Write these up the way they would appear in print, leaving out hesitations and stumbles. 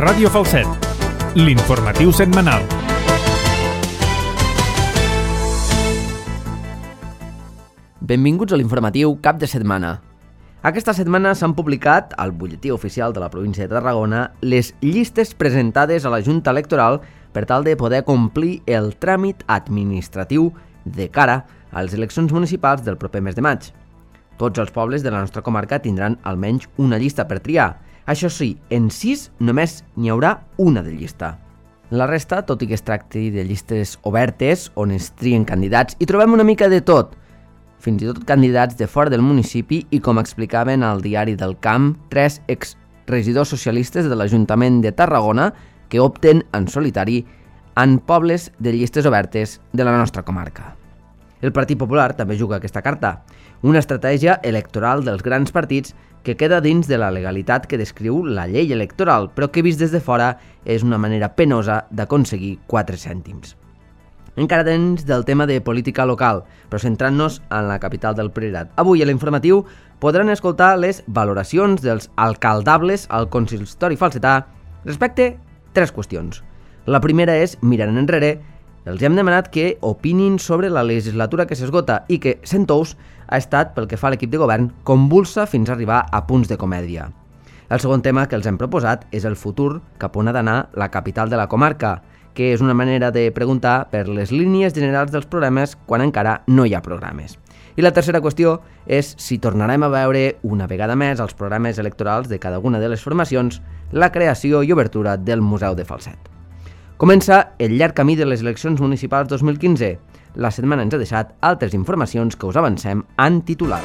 Ràdio Falset, l'informatiu setmanal. Benvinguts a l'informatiu cap de setmana. Aquesta setmana s'han publicat al butlletí oficial de la província de Tarragona les llistes presentades a la Junta Electoral per tal de poder complir el tràmit administratiu de cara a les eleccions municipals del proper mes de maig. Tots els pobles de la nostra comarca tindran almenys una llista per triar. Això sí, en 6 només n'hi haurà una de llista. La resta, tot i que es tracti de llistes obertes on es trien candidats, hi trobem una mica de tot, fins i tot candidats de fora del municipi i, com explicaven al diari del Camp, 3 exregidors socialistes de l'Ajuntament de Tarragona que opten en solitari en pobles de llistes obertes de la nostra comarca. El Partit Popular també juga aquesta carta, una estratègia electoral dels grans partits que queda dins de la legalitat que descriu la llei electoral, però que vist des de fora és una manera penosa d'aconseguir 4 cèntims. Encara dins del tema de política local, però centrant-nos en la capital del Priorat. Avui a l'informatiu podran escoltar les valoracions dels alcaldables al consistori falsetà respecte a 3 qüestions. La primera és, mirant enrere, els hem demanat que opinin sobre la legislatura que s'esgota i que, sent ous, ha estat, pel que fa a l'equip de govern, convulsa fins a arribar a punts de comèdia. El segon tema que els hem proposat és el futur cap on ha d'anar la capital de la comarca, que és una manera de preguntar per les línies generals dels programes quan encara no hi ha programes. I la tercera qüestió és si tornarem a veure una vegada més als programes electorals de cada una de les formacions la creació i obertura del Museu de Falset. Comença el llarg camí de les eleccions municipals 2015. La setmana ens ha deixat altres informacions que us avancem en titular.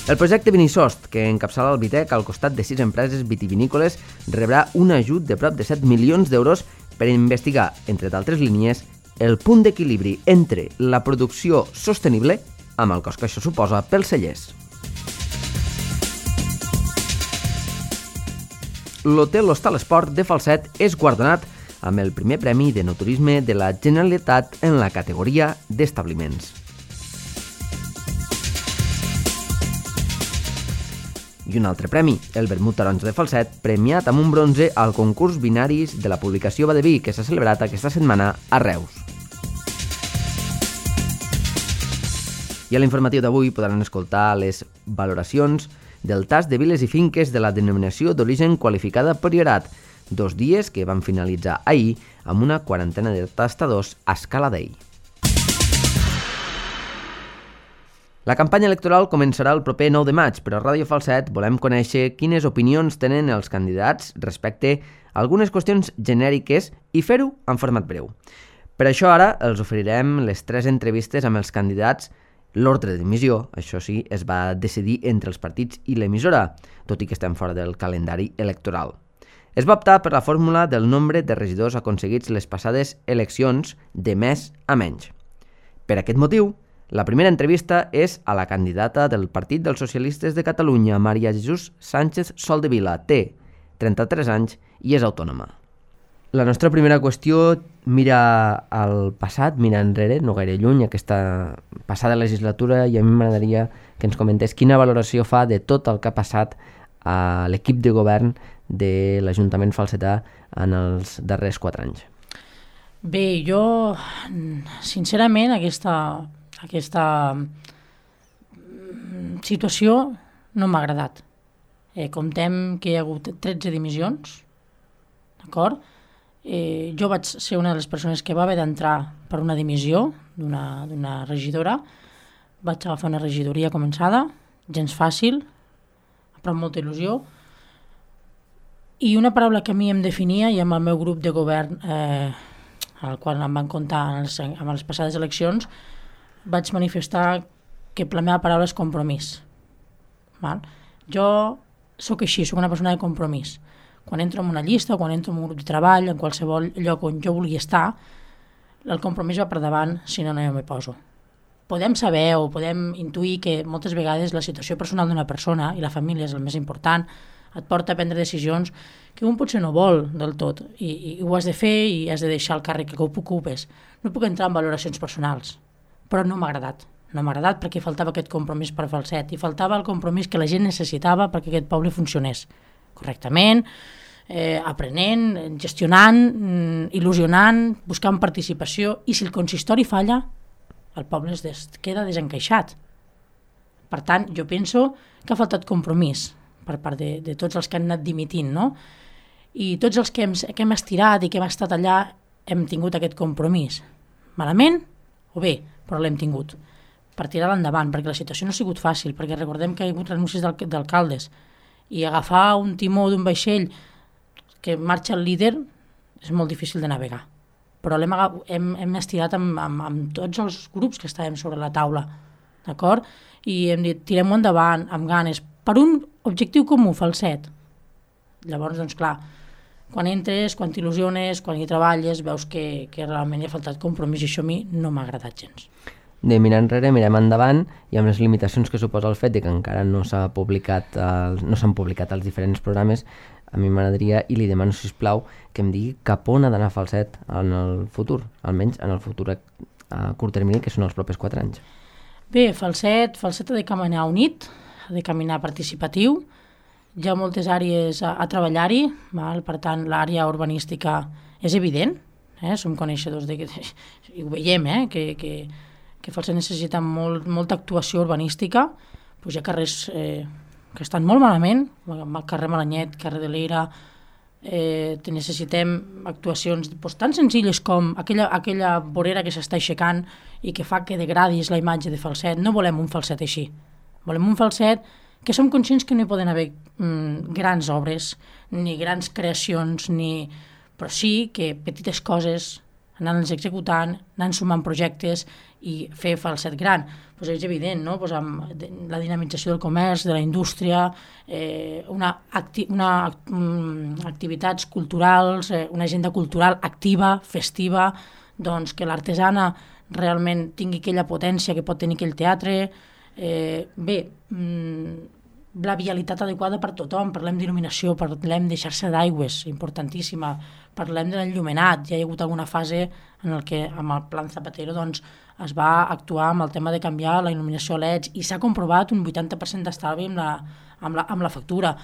El projecte Vinisost, que encapçala el Vitec al costat de 6 empreses vitivinícoles, rebrà un ajut de prop de 7 milions d'euros per investigar, entre d'altres línies, el punt d'equilibri entre la producció sostenible amb el cost que això suposa pels cellers. L'Hotel Hostal Esport de Falset és guardonat amb el primer premi d'enoturisme de la Generalitat en la categoria d'establiments. I un altre premi, el Vermut Taronja de Falset, premiat amb un bronze al concurs Binaris de la publicació Badeví, que s'ha celebrat aquesta setmana a Reus. I a l'informatiu d'avui podran escoltar les valoracions del tast de viles i finques de la denominació d'origen qualificada Priorat, 2 dies que van finalitzar ahir amb una quarantena de tastadors a escala d'ell. La campanya electoral començarà el proper 9 de maig, però a Ràdio Falset volem conèixer quines opinions tenen els candidats respecte a algunes qüestions genèriques i fer-ho en format breu. Per això ara els oferirem les 3 entrevistes amb els candidats. L'ordre d'emissió, això sí, es va decidir entre els partits i l'emissora, tot i que estem fora del calendari electoral. Es va optar per la fórmula del nombre de regidors aconseguits les passades eleccions de més a menys. Per aquest motiu, la primera entrevista és a la candidata del Partit dels Socialistes de Catalunya, Maria Jesús Sánchez Soldevila. Té 33 anys i és autònoma. La nostra primera qüestió mira al passat, mira enrere, no gaire lluny, aquesta passada legislatura, i a mi m'agradaria que ens comentés quina valoració fa de tot el que ha passat a l'equip de govern de l'Ajuntament falsetà en els darrers 4 anys. Bé, jo, sincerament, aquesta situació no m'ha agradat. Comptem que hi ha hagut 13 dimissions, d'acord? Jo vaig ser una de les persones que va haver d'entrar per una dimissió d'una regidora. Vaig agafar una regidoria començada, gens fàcil, però amb molta il·lusió. I una paraula que a mi em definia, i amb el meu grup de govern, al qual em van comptar amb les passades eleccions, vaig manifestar que la meva paraula és compromís. Jo sóc així, sóc una persona de compromís. Quan entro en una llista o quan entro en un grup de treball, en qualsevol lloc on jo vulgui estar, el compromís va per davant, si no, no m'hi poso. Podem saber o podem intuir que moltes vegades la situació personal d'una persona, i la família és el més important, et porta a prendre decisions que un potser no vol del tot, i ho has de fer i has de deixar el càrrec que ocupes. No puc entrar en valoracions personals, però no m'ha agradat. No m'ha agradat perquè faltava aquest compromís per falset i faltava el compromís que la gent necessitava perquè aquest poble funcionés correctament, aprenent, gestionant, il·lusionant, buscant participació, i si el consistori falla, el poble queda desencaixat. Per tant, jo penso que ha faltat compromís per part de tots els que han anat dimitint, no? I tots els que hem estirat i que hem estat allà hem tingut aquest compromís. Malament o bé, però l'hem tingut. Per tirar-la endavant, perquè la situació no ha sigut fàcil, perquè recordem que hi ha hagut renúncies d'alcaldes, i agafar un timó d'un vaixell que marxa el líder és molt difícil de navegar. Però hem estirat amb tots els grups que estàvem sobre la taula, d'acord? I hem dit, tirem-ho endavant, amb ganes, per un objectiu comú, falset. Llavors, doncs clar, quan entres, quan t'il·lusiones, quan hi treballes, veus que realment hi ha faltat compromís, i això a mi no m'ha agradat gens. De mirar enrere, mirem endavant, i amb les limitacions que suposa el fet de que encara no s'han publicat els diferents programes, a mi m'agradaria, i li demano, sisplau, que em digui cap on ha d'anar Falset en el futur, almenys en el futur a curt termini, que són els propers 4 anys. Bé, Falset ha de caminar unit, ha de caminar participatiu, hi ha moltes àrees a treballar-hi, per tant, l'àrea urbanística és evident, som coneixedors de que, i ho veiem, que Falset necessita molta actuació urbanística, doncs hi ha carrers que estan molt malament, el carrer Malanyet, carrer de l'Era, necessitem actuacions tan senzilles com aquella vorera que s'està aixecant i que fa que degradis la imatge de Falset. No volem un Falset així, volem un Falset que som conscients que no hi poden haver grans obres, ni grans creacions, però sí que petites coses, anant-les executant, anant sumant projectes i fer Falset gran. Pues és evident, no? Pues amb la dinamització del comerç, de la indústria, activitats culturals, una agenda cultural activa, festiva, doncs que l'artesana realment tingui aquella potència que pot tenir aquell teatre. La vialitat adequada per tothom, parlem d'il·luminació, parlem de xarxa d'aigües, importantíssima, parlem de l'enllumenat. Ja hi ha hagut alguna fase en què amb el Plan Zapatero doncs, es va actuar amb el tema de canviar la il·luminació a LEDs i s'ha comprovat un 80% d'estalvi amb la factura.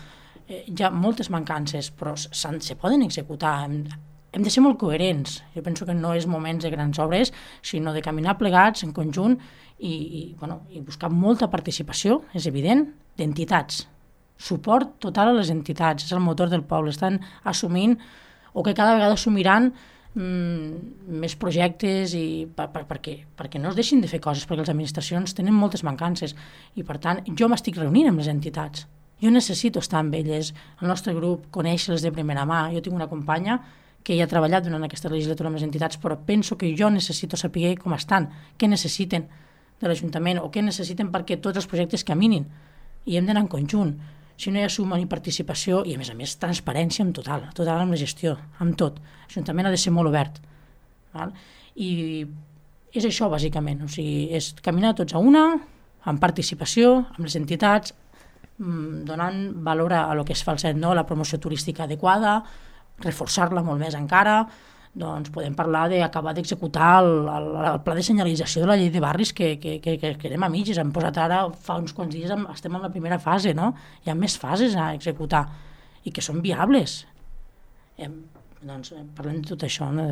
Hi ha moltes mancances, però se poden executar. Hem de ser molt coherents. Jo penso que no és moments de grans obres, sinó de caminar plegats en conjunt i buscar molta participació, és evident, d'entitats. Suport total a les entitats, és el motor del poble. Estan assumint, o que cada vegada assumiran més projectes perquè no es deixin de fer coses, perquè les administracions tenen moltes mancances i per tant jo m'estic reunint amb les entitats, jo necessito estar amb elles, el nostre grup, conèixer-les de primera mà. Jo tinc una companya que hi ha treballat durant aquesta legislatura amb les entitats, però penso que jo necessito saber com estan, què necessiten de l'Ajuntament o què necessiten perquè tots els projectes caminin, i hem d'anar en conjunt. Si no hi ha suma ni participació i, a més, transparència en total amb la gestió, amb tot. L'Ajuntament ha de ser molt obert. Val? I és això, bàsicament. O sigui, és caminar tots a una, amb participació, amb les entitats, donant valor a lo que és Falset, no? La promoció turística adequada, reforçar-la molt més encara. Doncs podem parlar d'acabar d'executar el pla de senyalització de la llei de barris que anem a mitges. Hem posat ara, fa uns quants dies, estem en la primera fase, no? Hi ha més fases a executar i que són viables. Doncs parlem de tot això, no?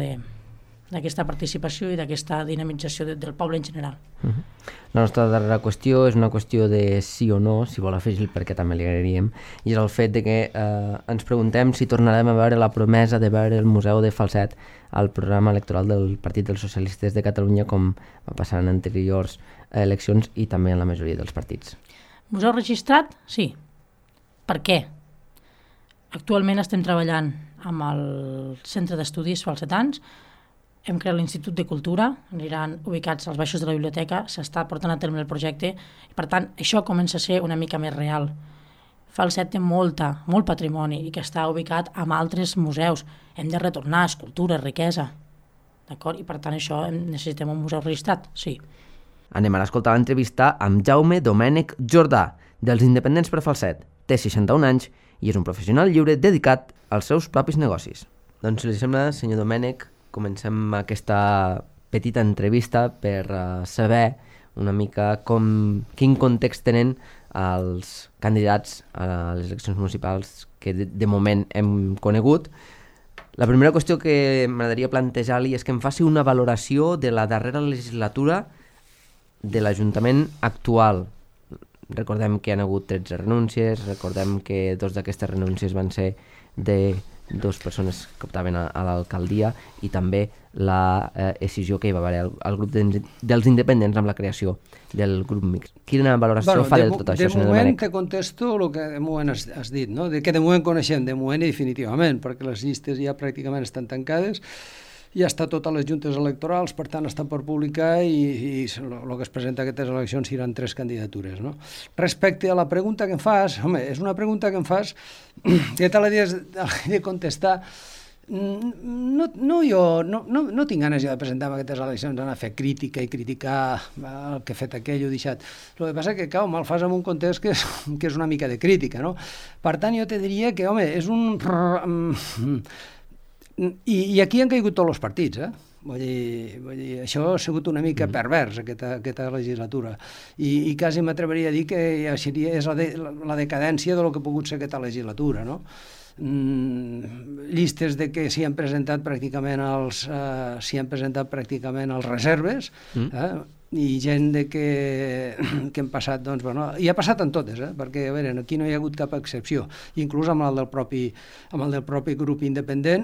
D'aquesta participació i d'aquesta dinamització del poble en general. La nostra darrera qüestió és una qüestió de sí o no, si vol afegir el perquè també li agrairíem, i és el fet de que ens preguntem si tornarem a veure la promesa de veure el Museu de Falset al programa electoral del Partit dels Socialistes de Catalunya, com va passar en anteriors eleccions i també en la majoria dels partits. Museu registrat? Sí. Per què? Actualment estem treballant amb el Centre d'Estudis Falsetans. Hem creat l'Institut de Cultura, aniran ubicats als baixos de la biblioteca, s'està portant a terme el projecte, i per tant això comença a ser una mica més real. Falset té molt patrimoni i que està ubicat amb altres museus. Hem de retornar escultura, riquesa, d'acord? I per tant això necessitem un museu registrat, sí. Anem ara a escoltar l'entrevista amb Jaume Domènech Jordà, dels Independents per Falset. Té 61 anys i és un professional lliure dedicat als seus propis negocis. Doncs si li sembla, senyor Domènech, comencem aquesta petita entrevista per saber una mica quin context tenen els candidats a les eleccions municipals que de moment hem conegut. La primera qüestió que m'agradaria plantejar-li és que em faci una valoració de la darrera legislatura de l'Ajuntament actual. Recordem que hi ha hagut 13 renúncies, recordem que 2 d'aquestes renúncies van ser de 2 persones que optaven a l'alcaldia i també la decisió que hi va haver al grup dels independents amb la creació del grup mixt. Quina valoració fa de tot això, senyor Domènech? De moment te contesto el que de moment has dit, no? De que de moment coneixem, de moment i definitivament, perquè les llistes ja pràcticament estan tancades, ja està tot a les juntes electorals, per tant està per publicar i el que es presenta a aquestes eleccions seran 3 candidatures. No? Respecte a la pregunta que em fas, home, és una pregunta que em fas que te l'he de contestar. No tinc ganes jo de presentar en aquestes eleccions, anar a fer crítica i criticar el que he fet aquell o deixat. El que passa és que, clar, me'l fas en un context que és una mica de crítica, no? Per tant, jo te diria que, home, és un... I aquí han caigut tots els partits, Vull dir, això ha sigut una mica pervers, aquesta legislatura. I quasi m'atreveria a dir que ja és la decadència del que ha pogut ser aquesta legislatura, no? Llistes de que s'hi han presentat pràcticament els reserves, i gent de que hem passat, doncs, bueno, i ha passat en totes, perquè, a veure, aquí no hi ha hagut cap excepció, inclús amb el del propi grup independent,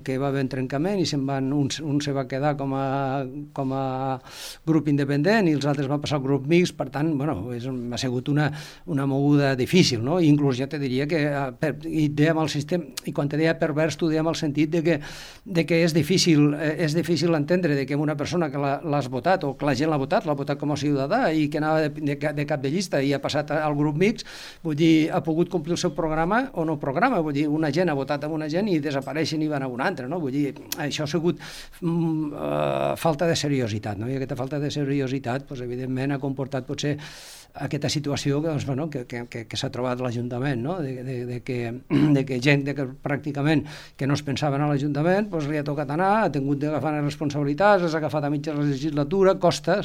que va haver trencament i un se va quedar com a grup independent i els altres van passar al grup mixt, per tant, bueno, ha sigut una moguda difícil, no? I inclús ja te diria que, i dèiem el sistema, i quan te deia pervers, tu dèiem el sentit de que és difícil entendre de que una persona que l'has votat o que la gent l'ha votat com a ciutadà i que anava de cap de llista i ha passat al grup mixt, vull dir, ha pogut complir el seu programa o no programa, vull dir, una gent ha votat amb una gent i desapareixen i van a una altra, no? Vull dir, això ha sigut falta de seriositat, no? I aquesta falta de seriositat, doncs, evidentment, ha comportat potser aquesta situació doncs, bueno, que s'ha trobat l'Ajuntament, no? de que gent que pràcticament que no es pensaven a l'Ajuntament doncs, li ha tocat anar, ha tingut d'agafar les responsabilitats, les ha agafat a mitja legislatura, costa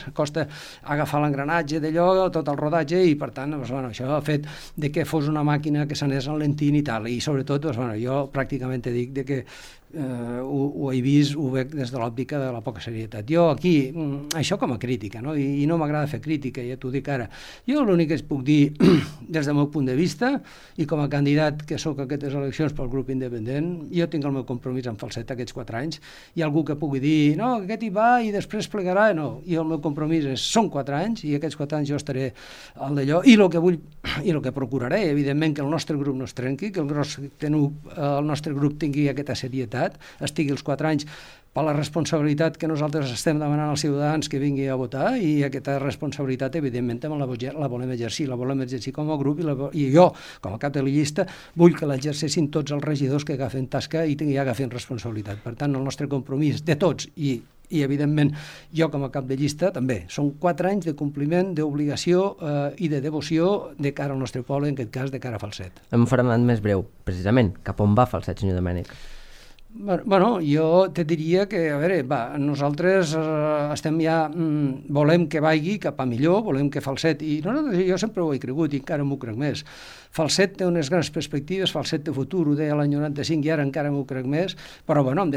agafar l'engranatge d'allò, tot el rodatge, i per tant doncs, bueno, això ha fet de que fos una màquina que s'anés enlentint i tal, i sobretot doncs, bueno, jo pràcticament te dic de que ho he vist, ho veig des de l'òptica de la poca serietat. Jo aquí, això com a crítica, no? I no m'agrada fer crítica, ja t'ho dic ara. Jo l'únic que es puc dir des del meu punt de vista, i com a candidat que sóc a aquestes eleccions pel grup independent, jo tinc el meu compromís amb Falset aquests 4 anys. Hi ha algú que pugui dir, no, aquest hi va i després plegarà. No, jo el meu compromís són 4 anys i aquests 4 anys jo estaré al d'allò, i el que vull i el que procuraré, evidentment, que el nostre grup no es trenqui, que el nostre grup tingui aquesta serietat, estigui els 4 anys per la responsabilitat que nosaltres estem demanant als ciutadans que vinguin a votar, i aquesta responsabilitat, evidentment, també la volem exercir com a grup, i jo, com a cap de la llista, vull que l'exerceixin tots els regidors que agafen tasca i agafin responsabilitat. Per tant, el nostre compromís de tots i evidentment, jo com a cap de llista també. Són 4 anys de compliment, d'obligació i de devoció de cara al nostre poble, en aquest cas de cara a Falset. En un format més breu, precisament, cap on va Falset, senyor Domènech? Bueno, jo te diria que, a veure, nosaltres estem ja, volem que vagi cap a millor, volem que Falset, i jo sempre ho he cregut i encara m'ho crec més. Falset té unes grans perspectives, Falset té futur, ho deia l'any 95 i ara encara m'ho crec més, però bueno, hem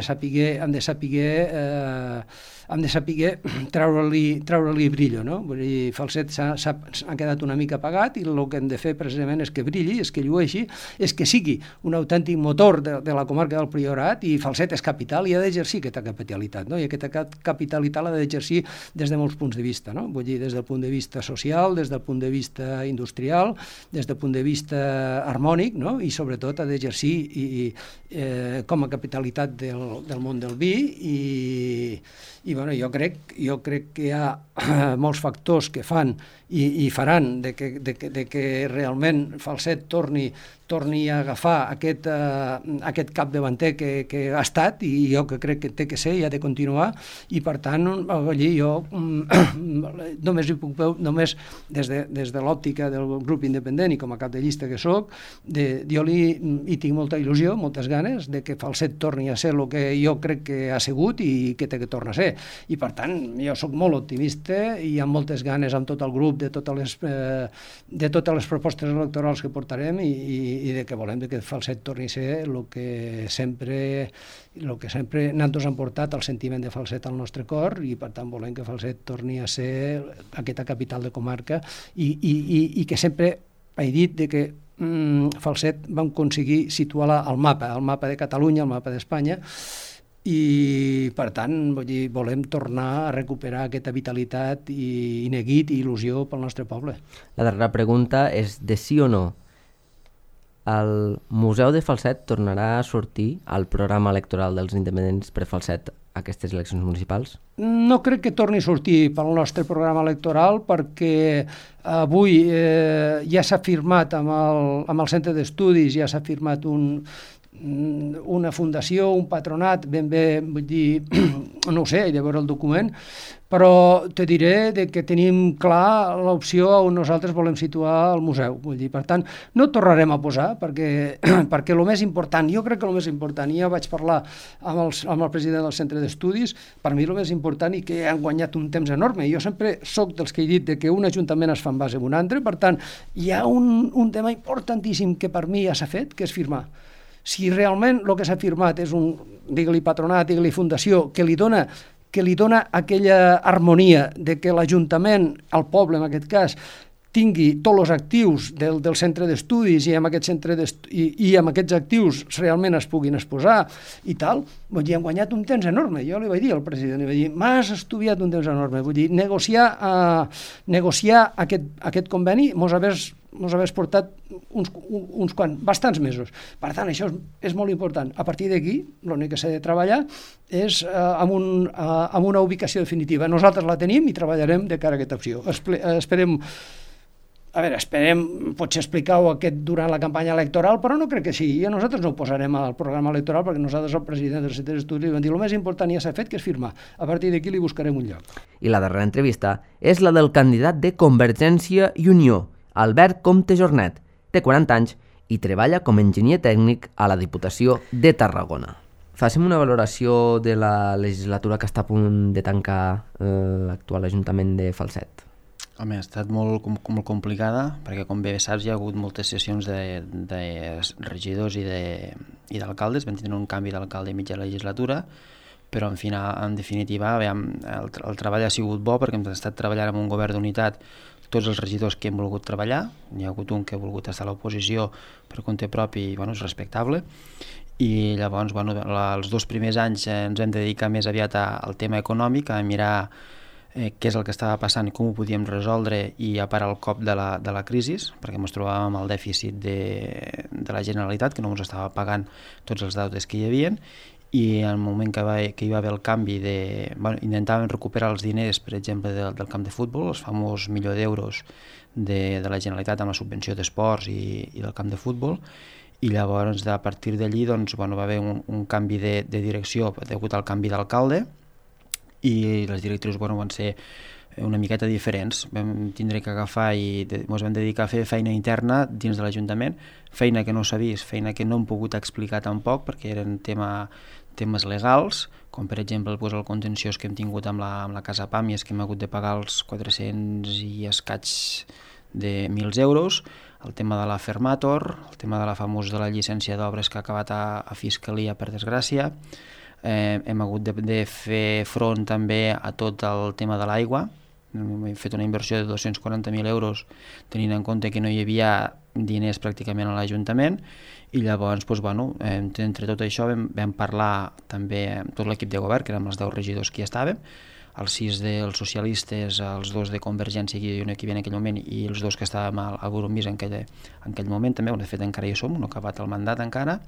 de saber treure-li brillo, no? Vull dir, Falset ha quedat una mica apagat i el que hem de fer precisament és que brilli, és que llueixi, és que sigui un autèntic motor de la comarca del Priorat, i Falset és capital i ha d'exercir aquesta capitalitat, no? I aquesta capitalitat l'ha d'exercir des de molts punts de vista, no? Vull dir, des del punt de vista social, des del punt de vista industrial, des del punt de vista harmònic, no? I sobretot ha d'exercir com a capitalitat del món del vi, i bueno, jo crec que hi ha molts factors que fan i faran de que realment Falset torni torni a agafar aquest capdavanter que ha estat, i jo que crec que té que ser i ha de continuar, i per tant allí jo només des de l'òptica del grup independent i com a cap de llista que soc, jo hi tinc molta il·lusió, moltes ganes de que Falset torni a ser el que jo crec que ha sigut i que té que tornar a ser, i per tant jo soc molt optimista i amb moltes ganes amb tot el grup de totes les propostes electorals que portarem i de que volem que Falset torni a ser el que sempre nosaltres han portat el sentiment de Falset al nostre cor, i per tant volem que Falset torni a ser aquesta capital de comarca i que sempre he dit de que Falset vam aconseguir situar-la al mapa de Catalunya, al mapa d'Espanya, i per tant volem tornar a recuperar aquesta vitalitat i neguit i il·lusió pel nostre poble. La darrera pregunta és de sí o no. El Museu de Falset tornarà a sortir al programa electoral dels independents per Falset aquestes eleccions municipals? No crec que torni a sortir pel nostre programa electoral, perquè avui ja s'ha firmat amb el centre d'estudis, ja s'ha firmat una fundació, un patronat, ben bé, vull dir, no ho sé, he de veure el document, però te diré que tenim clar l'opció on nosaltres volem situar el museu. Vull dir, per tant, no tornarem a posar, perquè el més important, jo crec que el més important, i ja vaig parlar amb el president del centre d'estudis, per mi el més important i que han guanyat un temps enorme. Jo sempre soc dels que he dit que un ajuntament es fa en base a un altre, per tant, hi ha un tema importantíssim que per mi ja s'ha fet, que és firmar. Si realment el que s'ha firmat és digue-li patronat, digue-li fundació, que li dona aquella harmonia de que l'Ajuntament, el poble en aquest cas, tingui tots els actius del centre d'estudis i amb aquests actius realment es puguin exposar i tal, vull dir, han guanyat un temps enorme. Jo li vaig dir al president, li vaig dir, m'has estudiat un temps enorme. Vull dir, negociar aquest conveni mos hagués portat bastants mesos. Per tant, això és molt important. A partir d'aquí, l'únic que s'ha de treballar és amb una ubicació definitiva. Nosaltres la tenim i treballarem de cara a aquesta opció. Esperem potser explicar-ho durant la campanya electoral, però no crec que sigui. Nosaltres no ho posarem al programa electoral perquè nosaltres, el president del centre d'estudis, vam dir el més important ja s'ha fet, que és firmar. A partir d'aquí li buscarem un lloc. I la darrera entrevista és la del candidat de Convergència i Unió, Albert Comte Jornet. Té 40 anys i treballa com a enginyer tècnic a la Diputació de Tarragona. Facem una valoració de la legislatura que està a punt de tancar l'actual Ajuntament de Falset. Home, ha estat molt complicada, perquè com bé saps hi ha hagut moltes sessions de regidors i d'alcaldes. Vam tenir un canvi d'alcalde a mitja legislatura, però en definitiva el treball ha sigut bo, perquè hem estat treballant amb un govern d'unitat tots els regidors que hem volgut treballar. N'hi ha hagut un que ha volgut estar a l'oposició per compte propi i és respectable. I llavors els 2 primers anys ens hem de dedicar més aviat al tema econòmic, a mirar què és el que estava passant i com ho podíem resoldre i a parar el cop de la crisi, perquè ens trobàvem amb el dèficit de la Generalitat, que no ens estava pagant tots els deutes que hi havia, i en el moment que hi va haver el canvi intentàvem recuperar els diners, per exemple, del camp de futbol, els famós €1.000.000 de la Generalitat amb la subvenció d'esports i del camp de futbol, i llavors a partir d'allí va haver un canvi de direcció degut al canvi d'alcalde, i les directrius van ser una miqueta diferents. Vam tindre que agafar i ens vam dedicar a fer feina interna dins de l'Ajuntament, feina que no s'ha vist, feina que no hem pogut explicar tampoc perquè eren temes legals, com per exemple el contenciós que hem tingut amb la Casa Pàmies, que hem hagut de pagar els 400 i escaig de 1.000 euros, el tema de la Fermator, el tema de la famosa de la llicència d'obres que ha acabat a Fiscalia, per desgràcia. Hem hagut de fer front també a tot el tema de l'aigua. Hem fet una inversió de 240.000 euros tenint en compte que no hi havia diners pràcticament a l'Ajuntament, i llavors entre tot això vam parlar també amb tot l'equip de govern, que érem els 10 regidors que hi estàvem, els 6 dels socialistes, els 2 de Convergència i Unió que hi havia en aquell moment i els 2 que estàvem al Goromís en aquell moment també, de fet encara hi som, no ha acabat el mandat encara,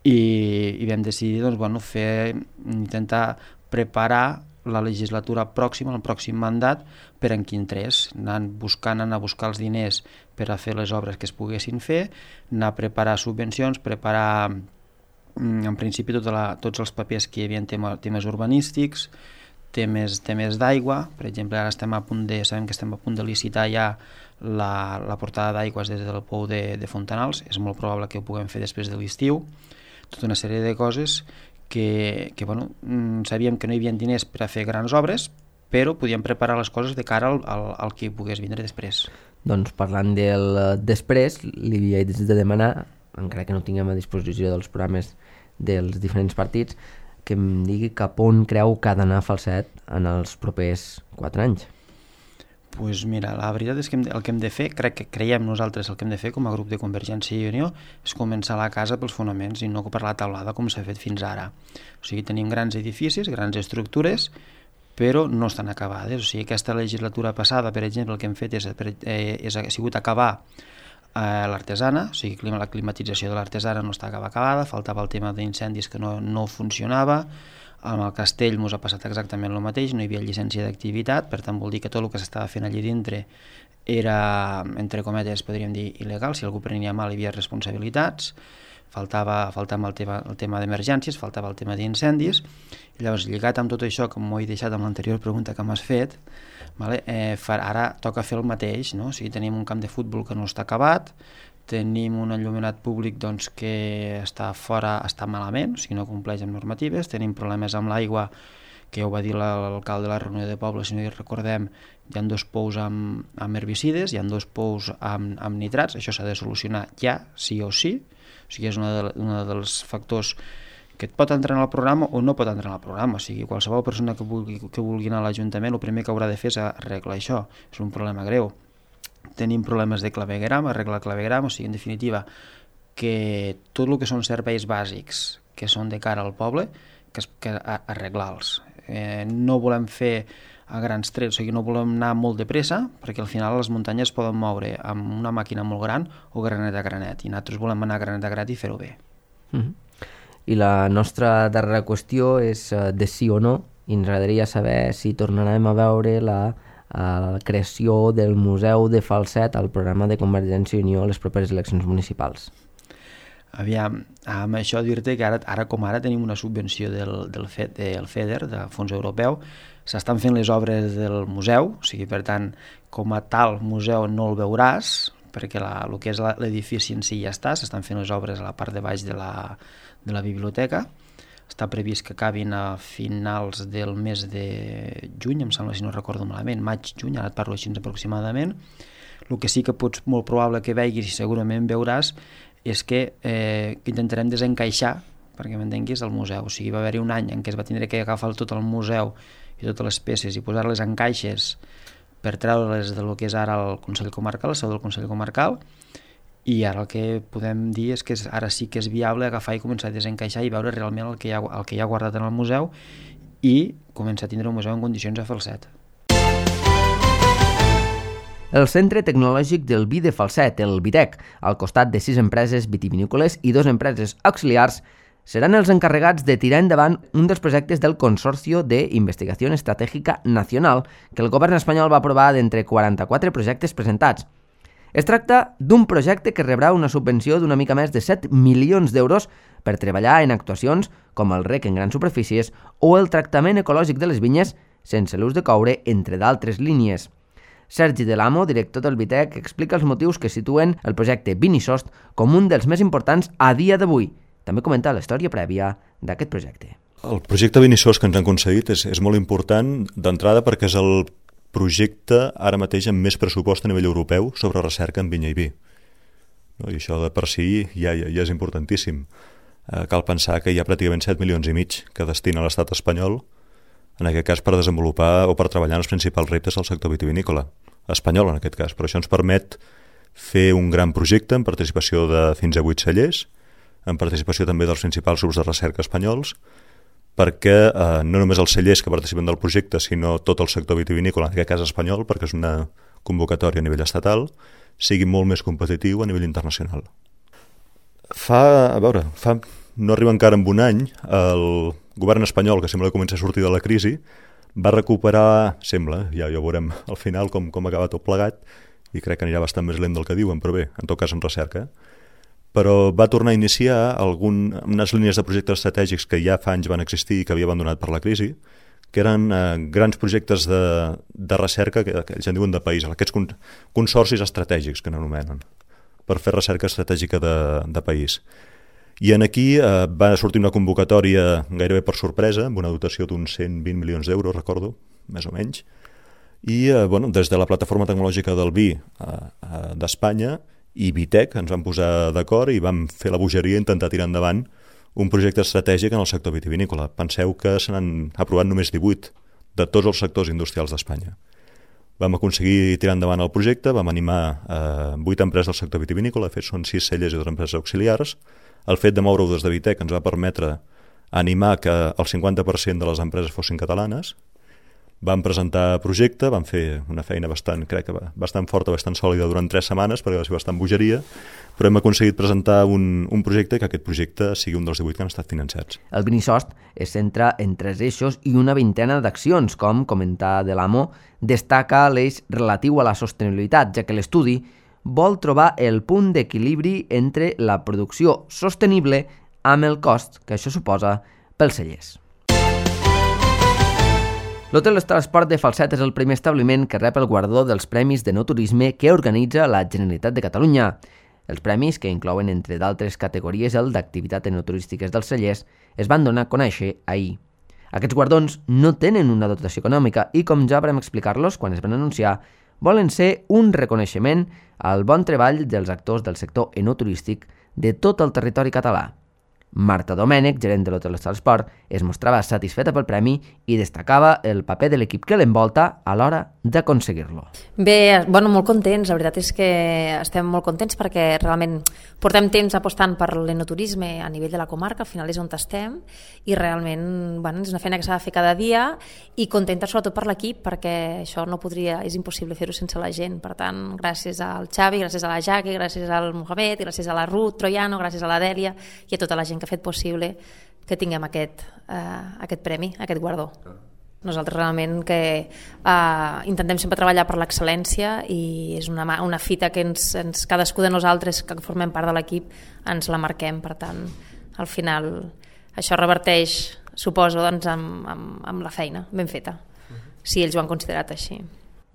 i vam decidir intentar preparar la legislatura pròxima, el pròxim mandat, per en quin tres, anar a buscar els diners per a fer les obres que es poguessin fer, anar a preparar subvencions, preparar en principi tots els papers que hi havia en temes urbanístics, temes d'aigua. Per exemple, ara sabem que estem a punt de licitar ja la portada d'aigües des del pou de Fontanals. És molt probable que ho puguem fer després de l'estiu. Tota una sèrie de coses que sabíem que no hi havia diners per a fer grans obres, però podíem preparar les coses de cara al que pogués vindre després. Doncs parlant del després, li he de demanar, encara que no tinguem a disposició dels programes dels diferents partits, que em digui cap on creu que ha d'anar Falset en els propers 4 anys. Doncs mira, la veritat és que el que hem de fer, creiem nosaltres el que hem de fer com a grup de Convergència i Unió, és començar la casa pels fonaments i no per la teulada com s'ha fet fins ara. O sigui, tenim grans edificis, grans estructures, però no estan acabades. O sigui, aquesta legislatura passada, per exemple, el que hem fet ha sigut acabar l'artesana, o sigui, la climatització de l'artesana no està acabada, faltava el tema d'incendis que no funcionava. Amb el castell ens ha passat exactament el mateix, no hi havia llicència d'activitat, per tant vol dir que tot el que s'estava fent allí dintre era, entre cometes, podríem dir, il·legal. Si algú prenia mal hi havia responsabilitats, faltava el tema d'emergències, faltava el tema d'incendis. I llavors, lligat amb tot això, que m'ho he deixat amb l'anterior pregunta que m'has fet, ara toca fer el mateix, no? O sigui, tenim un camp de futbol que no està acabat, tenim un enllumenat públic que està malament, o sigui, no compleix amb normatives, tenim problemes amb l'aigua, que ja ho va dir l'alcalde de la reunió de poble, si no hi recordem, hi ha 2 pous amb herbicides, hi ha 2 pous amb nitrats, això s'ha de solucionar ja, sí o sí, o sigui, és un dels factors que et pot entrar en el programa o no pot entrar en el programa. O sigui, qualsevol persona que vulgui anar a l'Ajuntament, el primer que haurà de fer és arreglar això. És un problema greu. Tenim problemes de clavegueram, arreglar clavegueram, o sigui, en definitiva, que tot el que són serveis bàsics que són de cara al poble, que arreglar-los. No volem fer a grans trets, o sigui, no volem anar molt de pressa, perquè al final les muntanyes poden moure amb una màquina molt gran o granet a granet, i nosaltres volem anar granet a granet i fer-ho bé. I la nostra darrera qüestió és de sí o no, i ens agradaria saber si tornarem a veure la creació del Museu de Falset al programa de Convergència i Unió a les properes eleccions municipals. Aviam, amb això dir-te que ara com ara tenim una subvenció del FEDER, del Fons Europeu, s'estan fent les obres del museu, o sigui, per tant, com a tal museu no el veuràs, perquè el que és l'edifici en si ja està, s'estan fent les obres a la part de baix de la biblioteca. Està previst que acabin a finals del mes de juny, em sembla, si no recordo malament, maig-juny, ara et parlo així aproximadament. El que sí que pots molt probable que veguis, i segurament veuràs, és que intentarem desencaixar, perquè m'entenguis, el museu. O sigui, va haver-hi un any en què es va tindre que agafar tot el museu i totes les peces i posar-les en caixes per treure-les del que és ara el Consell Comarcal, la seu del Consell Comarcal, i ara el que podem dir és que ara sí que és viable agafar i començar a desencaixar i veure realment el que hi ha guardat en el museu i començar a tindre un museu en condicions a Falset. El Centre Tecnològic del Vi de Falset, el VITEC, al costat de 6 empreses vitivinícoles i 2 empreses auxiliars, seran els encarregats de tirar endavant un dels projectes del Consorcio de Investigació Estratègica Nacional que el govern espanyol va aprovar d'entre 44 projectes presentats. Es tracta d'un projecte que rebrà una subvenció d'una mica més de 7 milions d'euros per treballar en actuacions com el rec en grans superfícies o el tractament ecològic de les vinyes sense l'ús de coure, entre d'altres línies. Sergi Delamo, director del VITEC, explica els motius que situen el projecte Vinisost com un dels més importants a dia d'avui. També comenta la història prèvia d'aquest projecte. El projecte Vinisost que ens han concedit és molt important d'entrada perquè és el projecte ara mateix amb més pressupost a nivell europeu sobre recerca en vinya i vi. I això de per si ja és importantíssim. Cal pensar que hi ha pràcticament 7 milions i mig que destina l'estat espanyol, en aquest cas per desenvolupar o per treballar en els principals reptes del sector vitivinícola, espanyol en aquest cas. Però això ens permet fer un gran projecte en participació de fins a 8 cellers, en participació també dels principals grups de recerca espanyols, perquè no només els cellers que participen del projecte, sinó tot el sector vitivinícola, en aquest cas espanyol, perquè és una convocatòria a nivell estatal, sigui molt més competitiu a nivell internacional. No arriba encara en un any, el govern espanyol, que sembla que comença a sortir de la crisi, va recuperar, sembla, ja ho veurem al final com acaba tot plegat, i crec que anirà bastant més lent del que diuen, però bé, en tot cas en recerca. Però va tornar a iniciar unes línies de projectes estratègics que ja fa anys van existir i que havia abandonat per la crisi, que eren grans projectes de recerca que ells en diuen de país, aquests consorcis estratègics que n'anomenen, per fer recerca estratègica de país. I aquí va sortir una convocatòria gairebé per sorpresa, amb una dotació d'uns 120 milions d'euros, recordo, més o menys, i des de la plataforma tecnològica del vi d'Espanya i Vitec ens vam posar d'acord i vam fer la bogeria i intentar tirar endavant un projecte estratègic en el sector vitivinícola. Penseu que se n'han aprovat només 18 de tots els sectors industrials d'Espanya. Vam aconseguir tirar endavant el projecte, vam animar 8 empreses del sector vitivinícola, de fet són 6 cellers i 2 empreses auxiliars. El fet de moure-ho des de Vitec ens va permetre animar que el 50% de les empreses fossin catalanes. Vam presentar projecte, vam fer una feina bastant forta, bastant sòlida durant 3 setmanes, perquè va ser bastant bogeria, però hem aconseguit presentar un projecte que aquest projecte sigui un dels 18 que han estat financats. El Vinisost es centra en 3 eixos i una vintena d'accions, com comentar de l'AMO, destaca l'eix relatiu a la sostenibilitat, ja que l'estudi vol trobar el punt d'equilibri entre la producció sostenible amb el cost que això suposa pels cellers. L'Hotel Transport de Falset és el primer establiment que rep el guardó dels Premis d'Enoturisme que organitza la Generalitat de Catalunya. Els premis, que inclouen entre d'altres categories el d'activitat enoturístiques dels cellers, es van donar a conèixer ahir. Aquests guardons no tenen una dotació econòmica i, com ja vam explicar-los quan es van anunciar, volen ser un reconeixement al bon treball dels actors del sector enoturístic de tot el territori català. Marta Domènech, gerent de l'Hotel Transport, es mostrava satisfeta pel premi i destacava el paper de l'equip que l'envolta a l'hora d'aconseguir-lo. Bé, molt contents. La veritat és que estem molt contents perquè realment portem temps apostant per l'enoturisme a nivell de la comarca, al final és on estem, i realment és una feina que s'ha de fer cada dia i contenta sobretot per l'equip perquè això és impossible fer-ho sense la gent. Per tant, gràcies al Xavi, gràcies a la Jaqui, gràcies al Mohamed, gràcies a la Ruth Troiano, gràcies a la Dèlia i a tota la gent que ha fet possible que tinguem aquest premi, aquest guardó. Nosaltres realment que intentem sempre treballar per l'excel·lència i és una fita que cadascú de nosaltres que formem part de l'equip ens la marquem, per tant al final això reverteix, suposo, amb la feina ben feta, si ells ho han considerat així.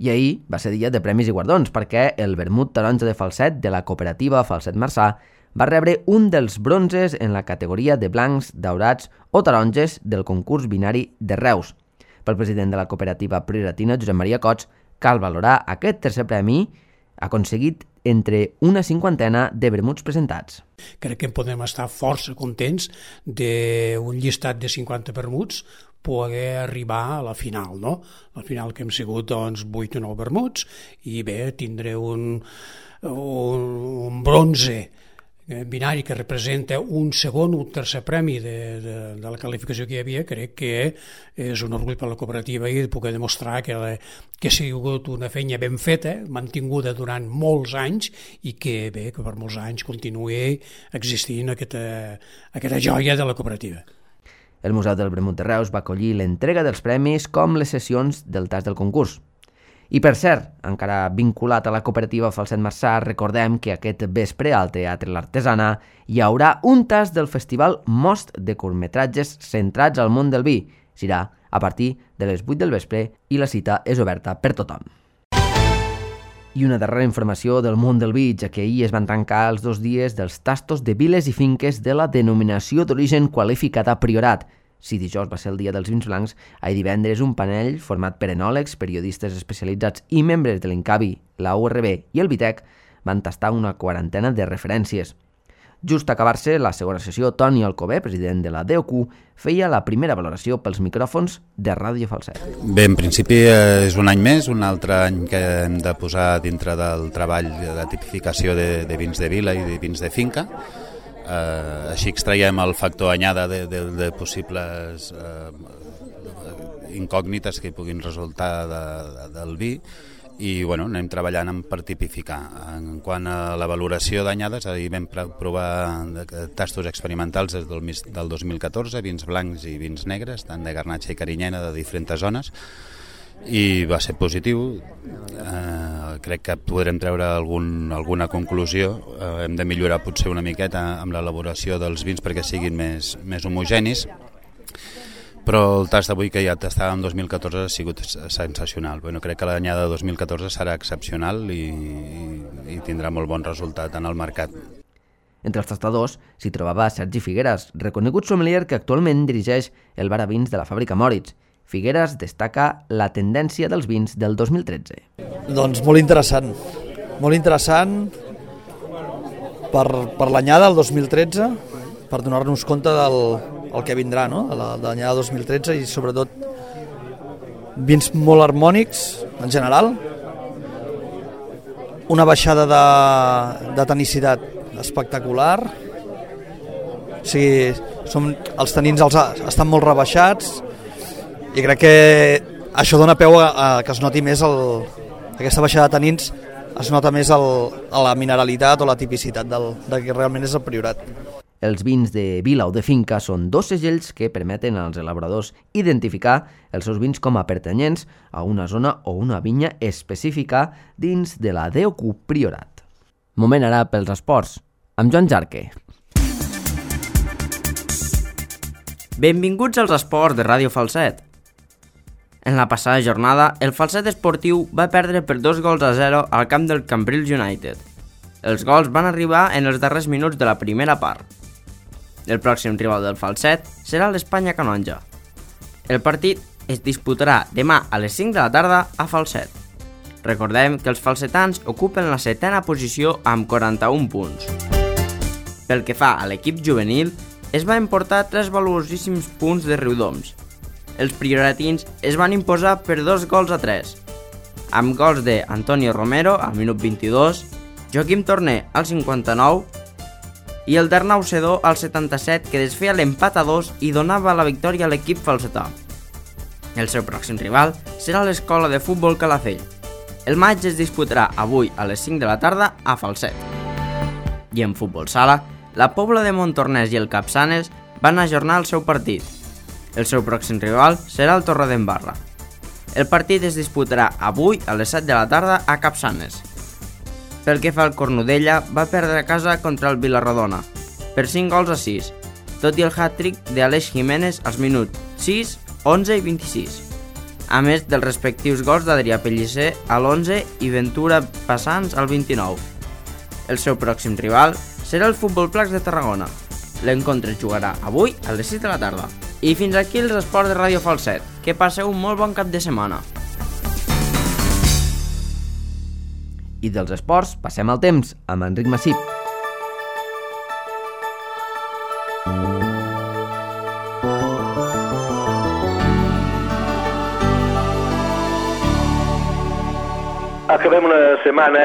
I ahir va ser dia de premis i guardons perquè el vermut taronja de Falset de la cooperativa Falset Marçà va rebre un dels bronzes en la categoria de blancs, daurats o taronges del concurs binari de Reus. Pel president de la cooperativa Prioratina, Josep Maria Cots, cal valorar aquest tercer premi aconseguit entre una 50ena de vermuts presentats. Crec que podem estar força contents d'un llistat de 50 vermuts poder arribar a la final, no? La final que hem sigut 8 o 9 vermuts i bé, tindré un bronze binari que representa un segon o un tercer premi de la qualificació que hi havia. Crec que és un orgull per la cooperativa i poder demostrar que ha sigut una feina ben feta, mantinguda durant molts anys i que bé, que per molts anys continuï existint aquesta joia de la cooperativa. El Museu del Vermut de Reus va acollir l'entrega dels premis com les sessions del tast del concurs. I per cert, encara vinculat a la cooperativa Falset Marçà, recordem que aquest vespre al Teatre L'Artesana hi haurà un tast del festival Most de curtmetratges centrats al món del vi. Serà a partir de les 8 del vespre i la cita és oberta per tothom. I una darrera informació del món del vi, ja que ahir es van tancar els 2 dies dels tastos de viles i finques de la denominació d'origen qualificada Priorat. Si dijous va ser el dia dels vins blancs, ahir divendres un panell format per enòlegs, periodistes especialitzats i membres de l'Incavi, la URB i el Vitec van tastar una 40ena de referències. Just a acabar-se la segona sessió, Toni Alcover, president de la DOQ, feia la primera valoració pels micròfons de Ràdio Falset. Bé, en principi és un any més, un altre any que hem de posar dintre del treball de tipificació de vins de vila i de vins de finca. Així extraiem el factor anyada de possibles incògnites que puguin resultar del vi i anem treballant per tipificar. En quant a la valoració d'anyades, ahir vam provar tastos experimentals des del 2014, vins blancs i vins negres, tant de Garnatxa i Carinyena, de diferents zones, i va ser positiu. Crec que podrem treure alguna conclusió. Hem de millorar potser una miqueta amb l'elaboració dels vins perquè siguin més homogenis, però el tast d'avui que ja tastàvem en 2014 ha sigut sensacional. Crec que l'anyada de 2014 serà excepcional i tindrà molt bon resultat en el mercat. Entre els tastadors s'hi trobava Sergi Figueras, reconegut sommelier que actualment dirigeix el bar a vins de la fàbrica Moritz. Figueras destaca la tendència dels vins del 2013. Doncs molt interessant per l'anyada del 2013, per donar-nos compte del que vindrà, no? De l'anyada 2013, i sobretot vins molt harmònics en general, una baixada de tanicitat espectacular, o sigui, els tanins estan molt rebaixats, i crec que això dona peu a que es noti més aquesta baixada de tanins, es nota més a la mineralitat o la tipicitat de que realment és el Priorat. Els vins de vila o de finca són dos segells que permeten als elaboradors identificar els seus vins com a pertanyents a una zona o una vinya específica dins de la DOQ Priorat. Moment ara pels esports, amb Joan Jarque. Benvinguts als esports de Ràdio Falset. En la passada jornada, el Falset esportiu va perdre per 2-0 al camp del Cambrils United. Els gols van arribar en els darrers minuts de la primera part. El pròxim rival del Falset serà l'Espanya Canonja. El partit es disputarà demà a les 5 de la tarda a Falset. Recordem que els falsetans ocupen la 7ª posició amb 41 punts. Pel que fa a l'equip juvenil, es va emportar 3 valuosíssims punts de Riudoms. Els prioratins es van imposar per 2-3, amb gols de Antonio Romero al minut 22, Joaquim Torner al 59 i el d'Arnau Sedó al 77, que desfeia l'empat a 2 i donava la victòria a l'equip falsetà. El seu pròxim rival serà l'Escola de Futbol Calafell. El maig es disputarà avui a les 5 de la tarda a Falset. I en futbol sala, la Pobla de Montornès i el Capçanes van ajornar el seu partit. El seu pròxim rival serà el Torredembarra. El partit es disputarà avui a les 7 de la tarda a Capçanes. Pel que fa al Cornudella, va perdre a casa contra el Vilarrodona per 5-6, tot i el hat-trick d'Aleix Jiménez als minuts 6, 11 i 26, a més dels respectius gols d'Adrià Pellicer a l'11 i Ventura Passants al 29. El seu pròxim rival serà el Futbol Placs de Tarragona. L'encontre es jugarà avui a les 6 de la tarda. I fins aquí els esports de Ràdio Falset. Que passeu un molt bon cap de setmana. I dels esports passem al temps amb Enric Massip. Acabem una setmana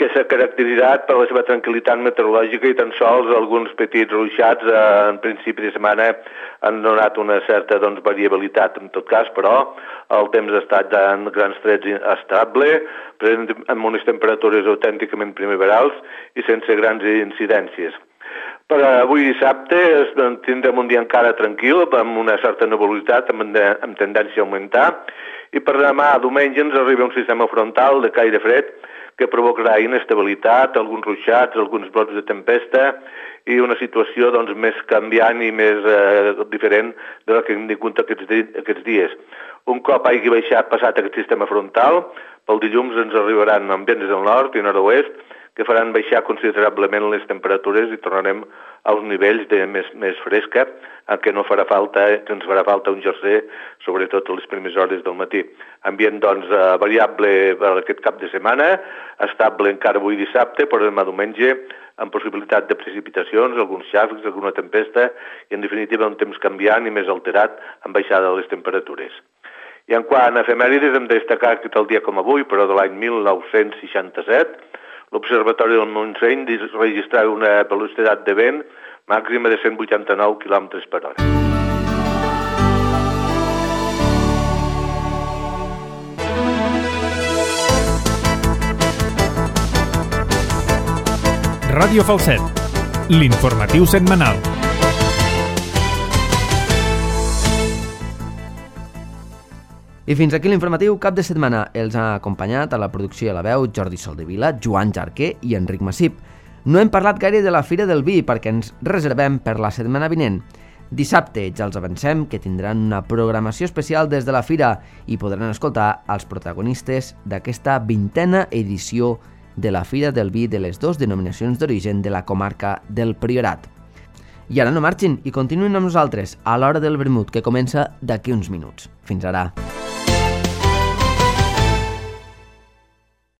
que s'ha caracteritzat per la seva tranquil·litat meteorològica i tan sols alguns petits ruixats en principi de setmana han donat una certa variabilitat. En tot cas, però, el temps ha estat en grans trets estable, amb unes temperatures autènticament primaverals i sense grans incidències. Per avui dissabte tindrem un dia encara tranquil, amb una certa nebulositat, amb tendència a augmentar, i per demà diumenge ens arriba un sistema frontal de caire fred que provocarà inestabilitat, alguns ruixats, alguns brots de tempesta i una situació més canviant i més diferent de la que hem tingut aquests dies. Un cop hagi passat aquest sistema frontal, pel dilluns ens arribaran ambients del nord i nord-oest que faran baixar considerablement les temperatures i tornarem als nivells de més fresca, en què ens farà falta un jersey, sobretot a les primeres hores del matí. Ambient, variable per aquest cap de setmana, estable encara avui dissabte, però demà diumenge, amb possibilitat de precipitacions, alguns xàfecs, alguna tempesta, i en definitiva un temps canviant i més alterat amb baixada de les temperatures. I en quant a efemèrides, hem de destacar que el dia com avui, però de l'any 1967, l'Observatori del Montseny registrava una velocitat de vent màxima de 189 km per hora. Ràdio Falset, l'informatiu setmanal. I fins aquí l'informatiu cap de setmana. Els ha acompanyat a la producció i a la veu Jordi Soldevila, Joan Jarquer i Enric Massip. No hem parlat gaire de la Fira del Vi perquè ens reservem per la setmana vinent. Dissabte ja els avancem que tindran una programació especial des de la Fira i podran escoltar els protagonistes d'aquesta 20a edició de la Fira del Vi de les dues denominacions d'origen de la comarca del Priorat. I ara no marxin i continuïn amb nosaltres a l'Hora del Vermut, que comença d'aquí uns minuts. Fins ara.